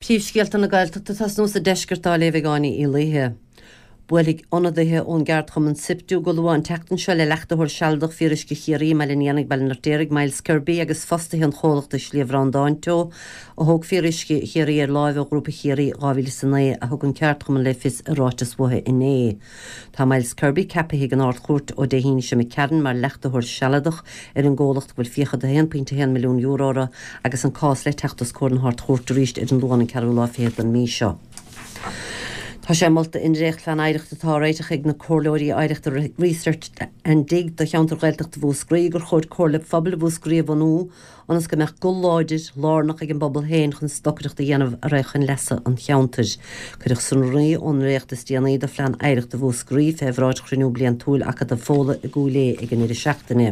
Príomhscéalta na Gaeltachta ag tosnú sa deisceart á léamh ag Áine Uí Laoithe. Buailfidh ionadaithe ón gceardchumann Siptu go luath an tseachtain seo le leachtaitheoir sealadach Fíoruisce Chiarraí i mBaile an Éanaigh, Baile an Fheirtéaraigh, Myles Kirby agus fostaithe an chomhlachta i Sliabh Bhreandáin Teo a thóg Fíoruisce Chiarraí ar láimh ó Ghrúpa Chiarraí 2009, a thug an ceardchumann le fios i ráiteas uathu inné. Tá Myles Kirby ceapaithe ag an Ard-Chúirt ó Dé hAoine seo imigh tharainn mar leachtaitheoir sealadach ar an gcomhlacht go bhfuil fiacha de €1.1 milliún orthu agus an cás le teacht os comhair na hArd-Chúirte arís ar an Luan an ceathrú lá fichead den mhí seo. Tá sé molta i ndréachtphlean oidhreachta atá á réiteach ag na comhairleoirí oidhreachta Research and Dig do cheantar Ghaeltachta Mhúscraí gur chóir Comhairle Phobail Mhúscraí a bhunú ionas go mbeadh guth láidir, lárnach ag an bpobal féin chun stocaireacht a dhéanamh a raghadh chun leasa an cheantair. Cuireadh sonraí ón ndréacht is déanaí de Phlean Oidhreachta Mhúscraí fé bhráid chruinniú bliantúil Acadamh Fódhla i gCúil Aodha ag an ndeireadh seachtaine.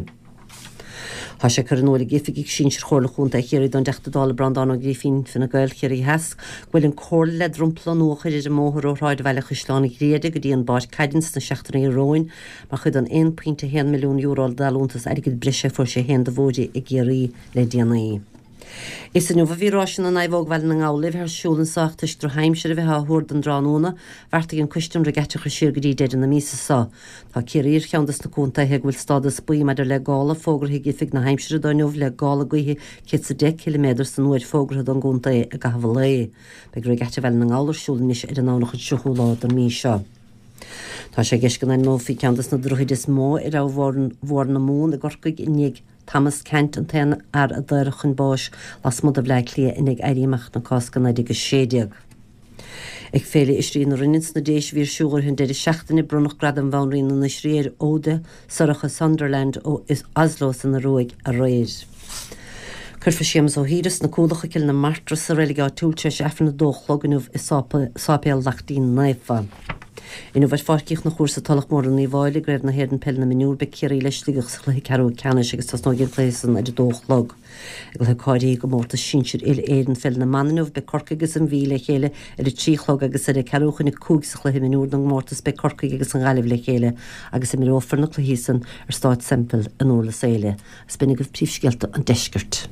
Tá sé curtha in iúl ag oifigigh sinsir Chomhairle Chontae Chiarraí don dTeachta Dála Breandán Ó Grífín, Fine Gael, Ciarraí Theas, go bhfuil an comhairle le dromchla nua a chur ar an mbóthar ó shráidbhaile Chaisleán Ghriaire go dtí an bPáirc Caide sna seachtainí romhainn Mar chuid den €1.1 milliún d'allúntas airgid breise a fuair sé féin do bhóithre i gCiarraí le déanaí. Is inniu a bhí Ráis na Naomhóg Bhaile na nGall le bheith ar siúl anso ach toisc drochaimsir a bheith á thuar don dtráthnóna, bheartaigh an coiste an regatta a chur siar go dtí deireadh na míosa so. Tá Ciarraí ar cheann dos na contaetha go bhfuil stádas buí maidir le gála fógraithe ag Oifig na hAimsire do inniu le gála gaoithe 110 ciliméadar san uair fógraithe don gcontae i gcaitheamh an lae. Beidh Regatta Bhaile na nGall ar siúl anois ar an nDomhnach an 30ú lá den mí seo. Tá sé i gceist go n-ainmneofaí ceann de na droichid is mó ar Abhainn Mhór na Mumhan i gCorcaigh i ndiaidh Thomas Ceannt, an t-aon fhear a daoradh chun báis lasmuigh de Bhleá Cliath i ndiaidh Éirí Amach na Cásca 1916. Ag Féile Oisrí na Rinne sna Déise a bhí ar siúl i rith an deireadh seachtaine, bronnadh Gradam Bhanríon na nOisrí ar Oda Sorcha Sonderland ó Oslo san Ioruaidh aréir. Cuirfear Séamus Ó hÍr as na Cualacha, Cill na Martra sa reilig áitiúil tar éis Aifreann 2 a chlog inniu i Sáipéal Laichtín Naofa. Inniu ar Pháirc Uí Chonchúir sa Tulach Mhór i nUíbh Fháilí i gCraobh na hÉireann Peile na Mionúr beidh Ciarraí le Sligeach sa chluiche ceathrú ceannais agus tosnóidh an cluiche san ar 2 a chlog. I gcluiche cáilithe i gcomórtas sinsir uile-Éireann Pheil na mBan inniu, beidh Corcaigh agus an Mhí le chéile ar a 3 a chlog agus ar a ceathrú chun a 5 sa chluiche mionúr don gcomórtas beidh Corcaigh agus an Ghaillimh le chéile agus imreofar na cluichí san ar Stáid Semple i nDurlas Éile. Is b'in agaibh príomhscéalta an deiscirt.